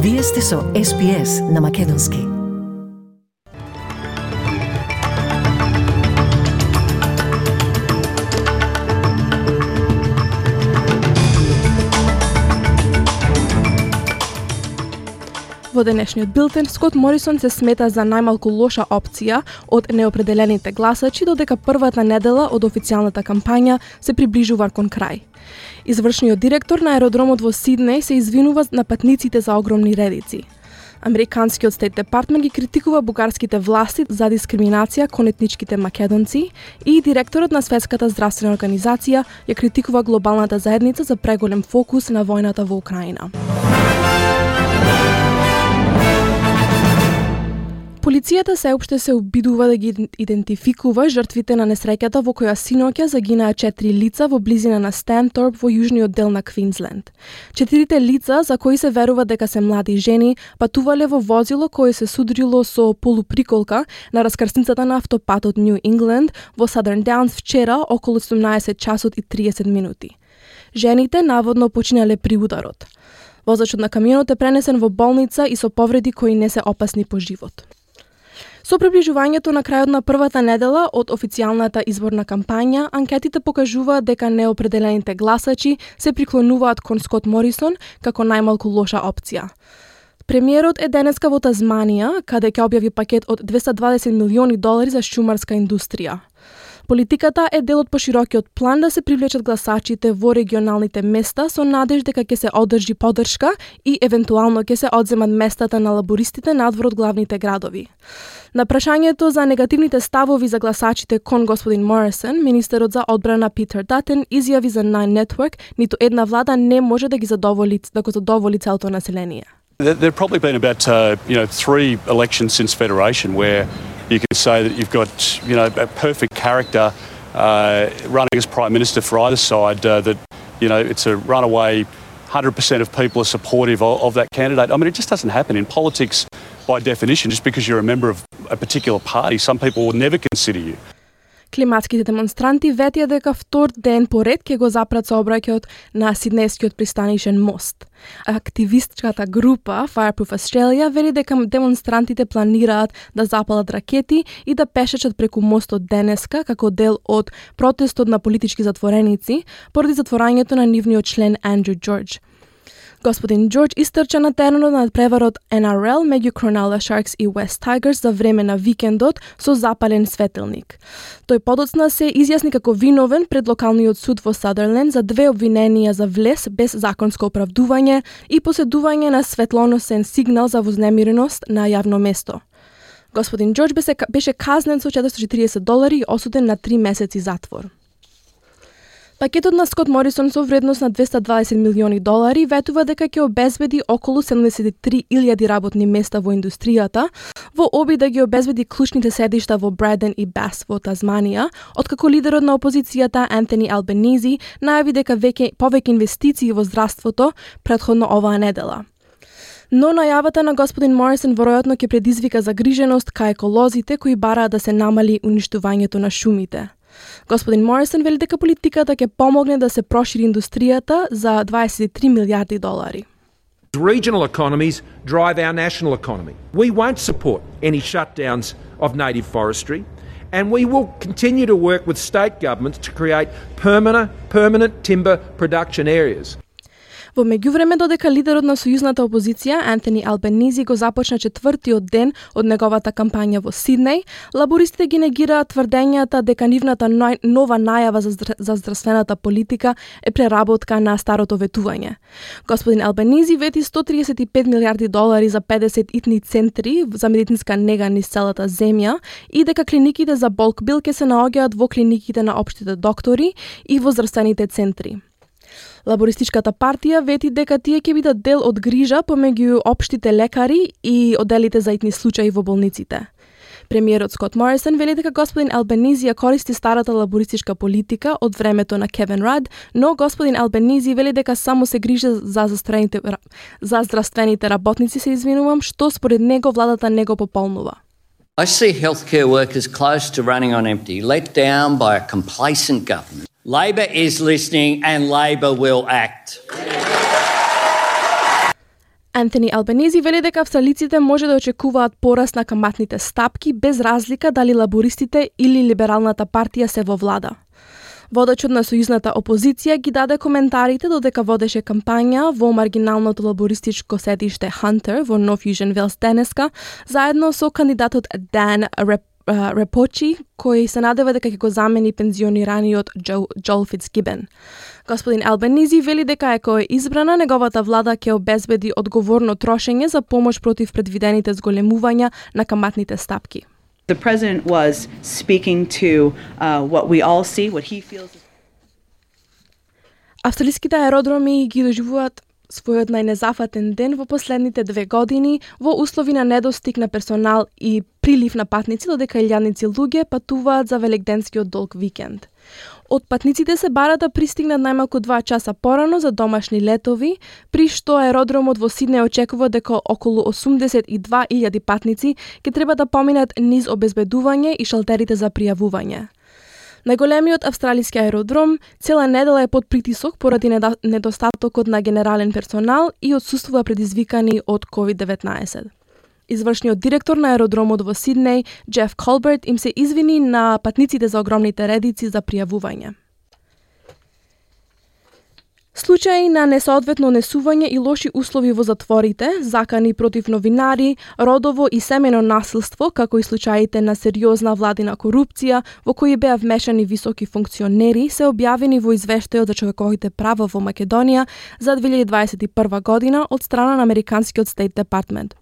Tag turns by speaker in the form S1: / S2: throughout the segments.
S1: Вие сте со SPS на Македонски.
S2: Во денешниот билтен, Скот Морисон се смета за најмалку лоша опција од неопределените гласачи, додека првата недела од официјалната кампања се приближува кон крај. Извршниот директор на аеродромот во Сиднеј се извинува на патниците за огромни редици. Американскиот Стейт Департмент ги критикува бугарските власти за дискриминација кон етничките македонци и директорот на Светската здравствена организација ја критикува глобалната заедница за преголем фокус на војната во Украина. Полицијата сеопште се обидува да ги идентификува жртвите на несреќата во која синоќа загинаа 4 лица во близина на Станторп во јужниот дел на Квинсленд. 4 лица, за кои се верува дека се млади жени, патувале во возило кое се судрило со полуприколка на раскрсницата на автопатот Нью Ингланд во Southern Downs вчера околу 17 часот и 30 минути. Жените наводно починале при ударот. Возачот на камионот е пренесен во болница и со повреди кои не се опасни по живот. Со приближувањето на крајот на првата недела од официјалната изборна кампања, анкетите покажуваат дека неопределените гласачи се приклонуваат кон Скот Морисон како најмалку лоша опција. Премиерот е денеска во Тазманија, каде ќе објави пакет од $220 милиони за шумарска индустрија. Политиката е дел од поширокиот план да се привлечат гласачите во регионалните места со надеж дека ќе се одржи поддршка и евентуално ќе се одземат местата на лабористите надвор од главните градови. На прашањето за негативните ставови за гласачите кон господин Морисон, министерот за одбрана Питер Датен изјави за Nine Network ниту една влада не може да го задоволи целото население.
S3: There've probably been about 3 elections since Federation where you can say that you've got a perfect character running as Prime Minister for either side, that it's a runaway 100% of people are supportive of that candidate. I mean, it just doesn't happen in politics by definition. Just because you're a member of a particular party, some people will never consider you.
S2: Климатските демонстранти ветија дека втор ден поред ќе го запрат сообраќајот на Сиднејскиот пристанишен мост. Активистката група Fireproof Australia вели дека демонстрантите планираат да запалат ракети и да пешачат преку мостот денеска како дел од протестот на политички затвореници поради затворањето на нивниот член Андрю Джордж. Господин Джордж истрча на теренот на преварот NRL меѓу Cronulla Sharks и West Tigers за време на викендот со запален светилник. Тој подоцна се изјасни како виновен пред локалниот суд во Садерленд за 2 обвиненија за влез без законско оправдување и поседување на светлоносен сигнал за вознемиреност на јавно место. Господин Джордж беше казнен со $440 и осуден на 3 месеци затвор. Пакетот на Скот Морисон со вредност на $220 милиони ветува дека ќе обезбеди околу 73,000 работни места во индустријата, во обид да ги обезбеди клучните седишта во Браден и Бас во Тазманија, откако лидерот на опозицијата Антони Албенизи најави дека повеќе инвестиции во здравството претходно оваа недела. Но најавата на господин Морисон веројатно ќе предизвика загриженост кај еколозите кои бараат да се намали уништувањето на шумите. Господин Морисон вели дека политиката ќе помогне да се прошири индустријата за $23 милиарди.
S4: Regional economies drive our national economy. We won't support any shutdowns of native forestry, and we will continue to work with state governments to create permanent timber production areas.
S2: Во меѓувреме, додека лидерот на сојузната опозиција Антони Албенизи го започна 4-тиот ден од неговата кампања во Сиднеј, лабористите ги негираат тврдењата дека нивната нова најава за здравствената политика е преработка на старото ветување. Господин Албенизи вети $135 милиарди за 50 итни центри за медицинска нега низ целата земја и дека клиниките за болк бил ќе се наоѓаат во клиниките на општите доктори и во здравствените центри. Лабористичката партија вети дека тие ќе бидат дел од грижа помеѓу општите лекари и одделите за итни случаи во болниците. Премиерот Скот Морисон вели дека господин Албенизи ја користи старата лабористичка политика од времето на Кевин Рад, но господин Албенизи вели дека само се грижи за здравствените работници, што според него владата не го пополнува.
S5: I see healthcare workers close to running on empty, let down by a complacent government. Labor is listening and Labor will act.
S2: Антони Албанези вели дека австралиците може да очекуваат пораст на каматните стапки без разлика дали лабористите или либералната партија се во влада. Водачот на сојузната опозиција ги даде коментарите додека водеше кампања во маргиналното лабористичко седиште Хантер во Нов Јужен Велс денеска, заедно со кандидатот Dan Rapoport, кој се надева дека ќе го замени пензионираниот Joel Fitzgibbon. Господин Албанези вели дека ако е избрана, неговата влада ќе обезбеди одговорно трошење за помош против предвидените зголемувања на каматните стапки.
S6: The president was speaking to what we all see, what he feels.
S2: Австралиските аеродроми ги доживуваат својот најнезафатен ден во последните 2 години во услови на недостиг на персонал и прилив на патници, додека илјадници луѓе патуваат за великденскиот долг викенд. Од патниците се бара да пристигнат најмалку 2 часа порано за домашни летови, при што аеродромот во Сиднеј очекува дека околу 82.000 патници ќе треба да поминат низ обезбедување и шалтерите за пријавување. Најголемиот австралиски аеродром цела недела е под притисок поради недостатокот на генерален персонал и отсуствува предизвикани од COVID-19. Извршниот директор на аеродромот во Сиднеј, Джеф Колберт, им се извини на патниците за огромните редици за пријавување. Случаи на несоодветно несување и лоши услови во затворите, закани против новинари, родово и семено насилство, како и случаите на сериозна владина корупција, во кои беа вмешани високи функционери, се објавени во извештајот за човековите права во Македонија за 2021 година од страна на Американскиот State Department.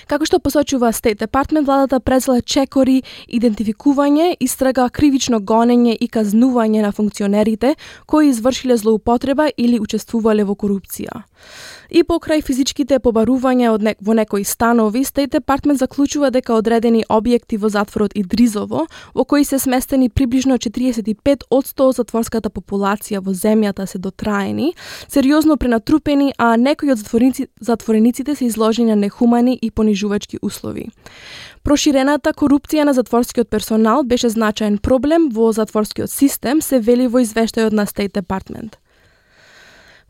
S2: Како што посочува State Department, владата презела чекори, идентификување, истрага, кривично гонење и казнување на функционерите кои извршиле злоупотреба или учествувале во корупција. И покрај физичките побарувања во некои станови, State Department заклучува дека одредени објекти во затворот Идризово, во кои се сместени приближно 45% од затворската популација во земјата се дотраени, сериозно пренатрупени, а некои од затворениците се изложени на нехумани и понижувачки услови. Проширената корупција на затворскиот персонал беше значаен проблем во затворскиот систем, се вели во извештајот на State Department.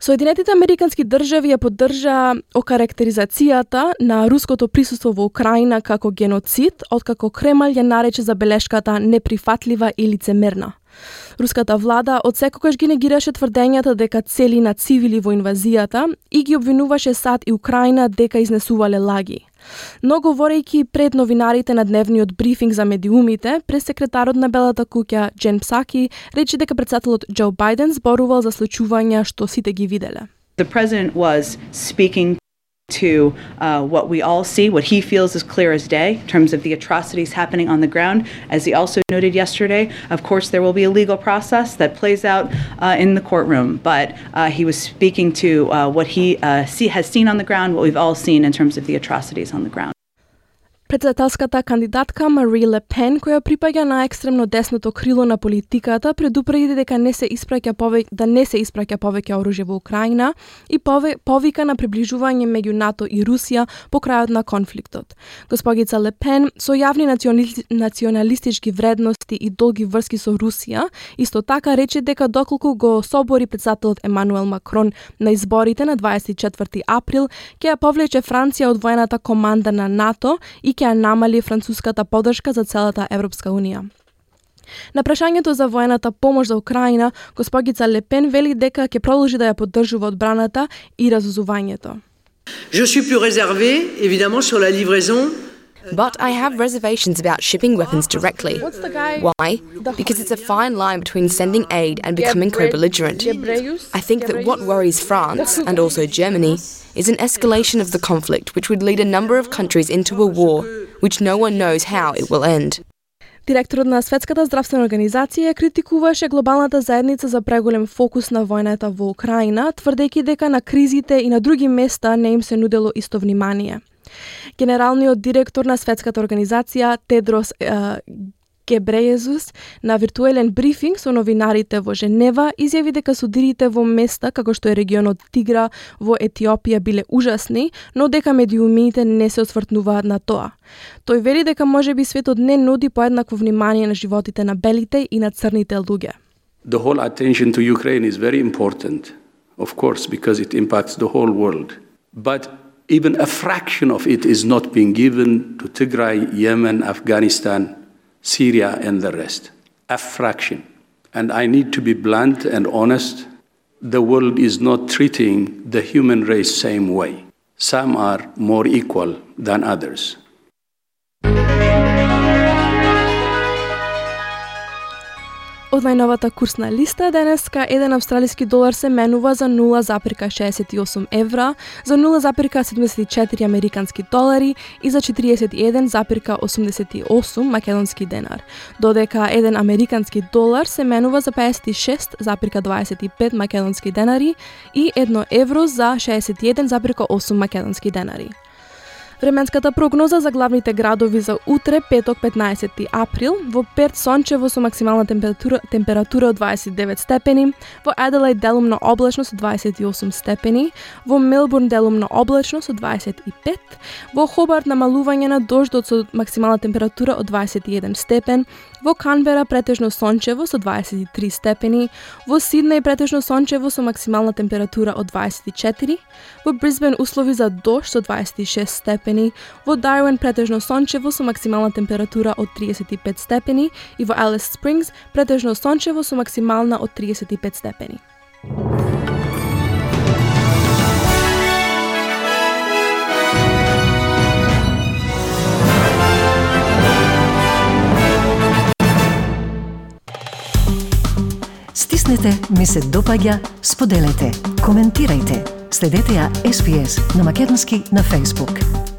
S2: Соединетите американски држави ја поддржа окарактеризацијата на руското присуство во Украина како геноцид, откако Кремљ ја нарече забелешката неприфатлива и лицемерна. Руската влада одсекогаш ги негираше тврдењата дека цели на цивили во инвазијата и ги обвинуваше САД и Украина дека изнесувале лаги. Но говорејќи пред новинарите на дневниот брифинг за медиумите, пресекретарот на Белата куќа Джен Псаки рече дека председателот Џо Бајден зборувал за случувања што сите ги виделе.
S6: The president was speaking to what we all see, what he feels is clear as day in terms of the atrocities happening on the ground. As he also noted yesterday, of course, there will be a legal process that plays out in the courtroom, but he was speaking to what he has seen on the ground, what we've all seen in terms of the atrocities on the ground.
S2: Председателската кандидатка Мари Ле Пен, која припаѓа на екстремно десното крило на политиката, предупреди дека не се испраќа повеќе оружје во Украина и повика на приближување меѓу НАТО и Русија по крајот на конфликтот. Госпогица Ле Пен, со јавни националистички вредности и долги врски со Русија, исто така рече дека доколку го собори председателот Емануел Макрон на изборите на 24 април, ќе ја повлече Франција од воената команда на НАТО и ќе намали француската поддршка за целата Европска унија. На прашањето за воената помош за Украина, госпогица Ле Пен вели дека ќе продолжи да ја поддржува одбраната и разузувањето.
S7: Je suis plus réservé, évidemment, sur la livraison.
S8: But I have reservations about shipping weapons directly. Why? Because it's a fine line between sending aid and becoming co-belligerent. I think that what worries France, and also Germany, is an escalation of the conflict which would lead a number of countries into a war which no one knows how it will end.
S2: Директорот на Светската здравствена организација критикуваше глобалната заедница за преголем фокус на војната во Украина, тврдејќи дека на кризите и на други места не им се нудело исто внимание. Генералниот директор на Светската организација Тедрос Гебрејезус на виртуелен брифинг со новинарите во Женева изјави дека судирите во места како што е регионот Тигра во Етиопија биле ужасни, но дека медиумите не се освртнуваат на тоа. Тој вели дека можеби светот не нуди поеднакво внимание на животите на белите и на црните луѓе.
S9: The whole attention to Ukraine is very important, of course, because it impacts the whole world. but even a fraction of it is not being given to Tigray, Yemen, Afghanistan, Syria, and the rest. A fraction. And I need to be blunt and honest. The world is not treating the human race same way. Some are more equal than others.
S2: Од најновата курсна листа денеска, еден австралиски долар се менува за 0,68 евра, за 0,74 американски долари и за 41,88 македонски денар, додека еден американски долар се менува за 56,25 македонски денари и 1 евро за 61,8 македонски денари. Временската прогноза за главните градови за утре, петок 15 април, во Перт сончево со максимална температура од 29 степени, во Аделаид делумно облачно со 28 степени, во Мелбурн делумно облачно со 25, во Хобарт намалување на дождот со максимална температура од 21 степен, во Канбера претежно сончево со 23 степени, во Сиднеј претежно сончево со максимална температура од 24, во Брисбен услови за дожд со 26 степени, во Дарвин претежно сончево со максимална температура од 35 степени и во Алис Спрингс претежно сончево со максимална од 35 степени.
S1: Стиснете ми се допаѓа, споделете, коментирајте. Следете ја SPS на македонски на Facebook.